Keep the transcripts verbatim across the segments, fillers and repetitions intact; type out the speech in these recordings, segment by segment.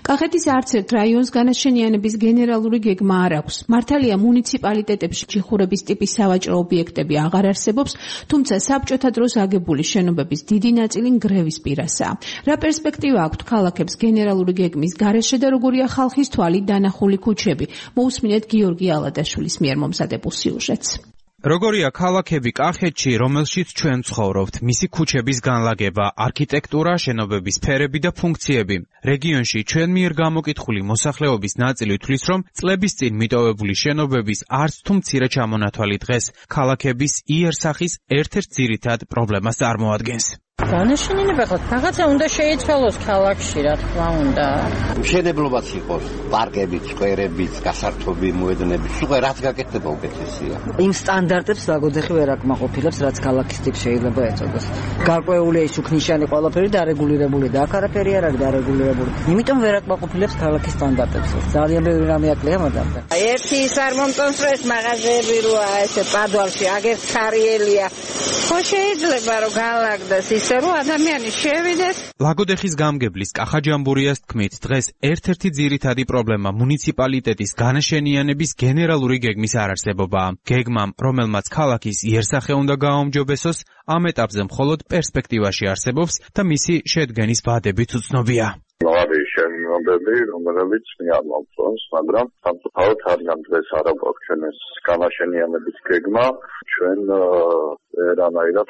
კახეთის არც ერთ რაიონს განაშენიანების გენერალური გეგმა არ აქვს. მართალია მუნიციპალიტეტებში ჯიხურების ტიპის სავაჭრო ობიექტები აღარ არსებობს, თუმცა საბჭოთა დროს აგებული შენობების დიდი ნაწილი ნგრევის პირასაა. რა პერსპექტივა აქვთ ქალაქებს გენერალური გეგმის გარეშე და როგორია ხალხის თვალით დანახული ქუჩები? მოусმინეთ გიორგი ალადაშვილის მიერ მომზადებულ სიუჟეტს. როგორია ქალაქები კახეთში, რომელშიც ჩვენ ცხოვრობთ, მისი ქუჩების განლაგება, არქიტექტურა, შენობების ფერები და ფუნქციები. რეგიონში ჩვენ მიერ გამოკითხული მოსახლეობის ნაწილი თვლის, რომ წლების წინ მიტოვებული შენობების არც თუ მცირე ჩამონათვალი დღეს ქალაქების იერსახის ერთ-ერთ ძირითად პრობლემას წარმოადგენს. განაშენიანება ხო რაღაცა უნდა შეიცვალოს ქალაქში, რა თქმა უნდა. მშენებლობაც იყოს, პარკებით, სკვერებით, გასართობი მოედნებით, უკვე რაც გაკეთდება უკეთესია. იმ სტანდარტებს ლაგოდეხი ვერ აკმაყოფილებს, რაც ქალაქის ტიპს შეიძლება ეწოდეს. გარკვეულია ის უქნიშანი ყველაფერი დარეგულირებული და აქ არაფერი არ არის დარეგულირებული. იმიტომ ვერ აკმაყოფილებს ქალაქის სტანდარტებს. ძალიან ბევრი რამე აკლია მაგალითად. ერთი ის არ მომწონს, რომ ეს მაღაზიები როა ესე პადვალში აგერ ხარიელია. ხო შეიძლება რომ განლაგდეს ისე რომ ადამიანი შევიდეს. ლაგოდეხის გამგებლის კახაჯამბურიას თქმით, დღეს ერთ-ერთი ძირითადი პრობლემა მუნიციპალიტეტის განაშენიანების გენერალური გეგმის არარსებობაა. გეგმამ, რომელმაც ქალაქის იერსახე უნდა გააუმჯობესოს, ამ ეტაპზე მხოლოდ პერსპექტივაში არსებობს და მისი შედგენის ვადებიც უცნობია. არის შენობები, რომელიც მე არ მომწონს, მაგრამ სამწუხაროდ არიან დღეს არ აქვს ჩვენ ეს განაშენიანების გეგმა, ჩვენ რანაირად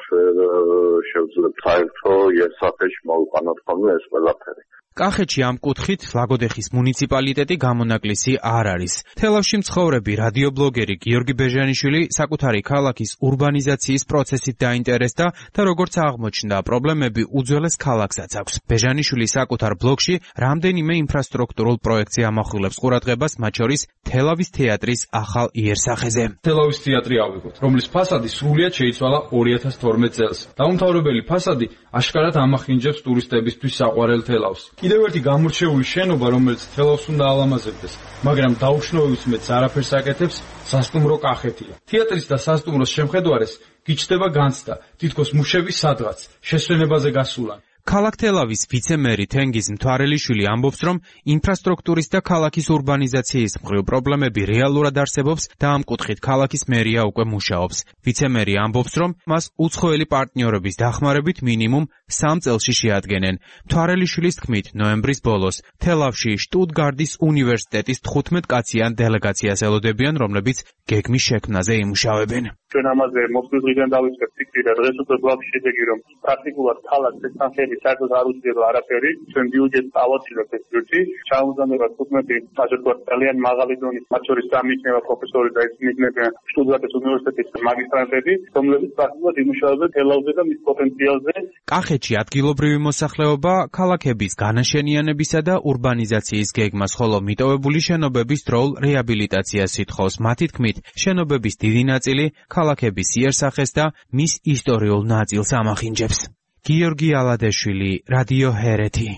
შევძლებთ საერთო იერსახეში მოვიყვანოთ ხოლმე ეს ყველაფერი. კახეთში ამ კუთხით ლაგოდეხის მუნიციპალიტეტი გამონაკლისი არ არის. თელავში მცხოვრები რადიობლოგერი გიორგი ბეჟანიშვილი საკუთარი ქალაქის ურბანიზაციის პროცესით დაინტერესდა და როგორც აღმოჩნდა, პრობლემები უძველეს ქალაქსაც აქვს. ბეჟანიშვილი საკუთარ ბლოგში რამდენიმე ინფრასტრუქტურულ პროექტზე ამახვილებს ყურადღებას, მათ შორის თელავის თეატრის ახალ იერსახეზე. თელავის თეატრი ავიღოთ, რომლის ფასადი სრულიად შეიცვალა ორი ათას თორმეტ წელს. დაუმთავრებელი ფასადი აშკარად ამახინჯებს ტურისტებისთვის საყვარელ თელავს. კიდევ ერთი გამორჩეული შენობა, რომელიც თელავს უნდა ალამაზებდეს, მაგრამ დაუშნოვების მეც არაფერს აკეთებს, სასტუმრო კახეთია. თეატრის და სასტუმროს შემხედვარეს გიჩნდება განცდა, თითქოს მუშები სადღაც შესვენებაზე გასულან. ქალაქ თელავის ვიცე-მერი თენგიზ მთვარელიშვილი ამბობს, რომ ინფრასტრუქტურის და ქალაქის ურბანიზაციის მხრივ პრობლემები რეალურად არსებობს და ამ კუთხით ქალაქის მერია უკვე მუშაობს. ვიცე-მერი ამბობს, რომ მას უცხოელი პარტნიორების დახმარებით მინიმუმ სამ წელში შეადგენენ. მთვარელიშვილის თქმით, ნოემბრის ბოლოს თელავში შტუტგარდის უნივერსიტეტის თხუთმეტ კაციან დელეგაციას ელოდებიან, რომლებიც გეგმის შექმნაზე იმუშავებენ. ჩვენ ამაზე მოსვლის დღიდან დავიწყებთ ფიქრი და დღეს უკვე გვაქვს შედეგი, რომ პრაქტიკულად ქალაქს ეს თანხები საერთოდ არ უძლიება არაფერი. ჩვენ ბიუჯეტს ავაცილებთ ეს ბიუჯეტი. ჩაუზამება თხუთმეტი ასე ვთქვათ ძალიან მაღალი დონის, მათ შორის სამიჩნევა პროფესორი და ისმიჯნებიან შტუტგარტის უნივერსიტეტის მაგისტრანტები, რომლებიც პრაქტიკულად იმუშავებენ თელავზე და მის პოტენციალზე. კახეთში ადგილობრივი მოსახლეობა ქალაქების განაშენიანებისა და ურბანიზაციის გეგმას, ხოლო მიტოვებული შენობების დროულ რეაბილიტაციას ითხოვს. მათი თქმით, შენობების დიდი ნაწილი ქალაქების იერსახეს და მის ისტორიულ ნაწილს ამახინჯებს. გიორგი ალადაშვილი, რადიო ჰერეთი.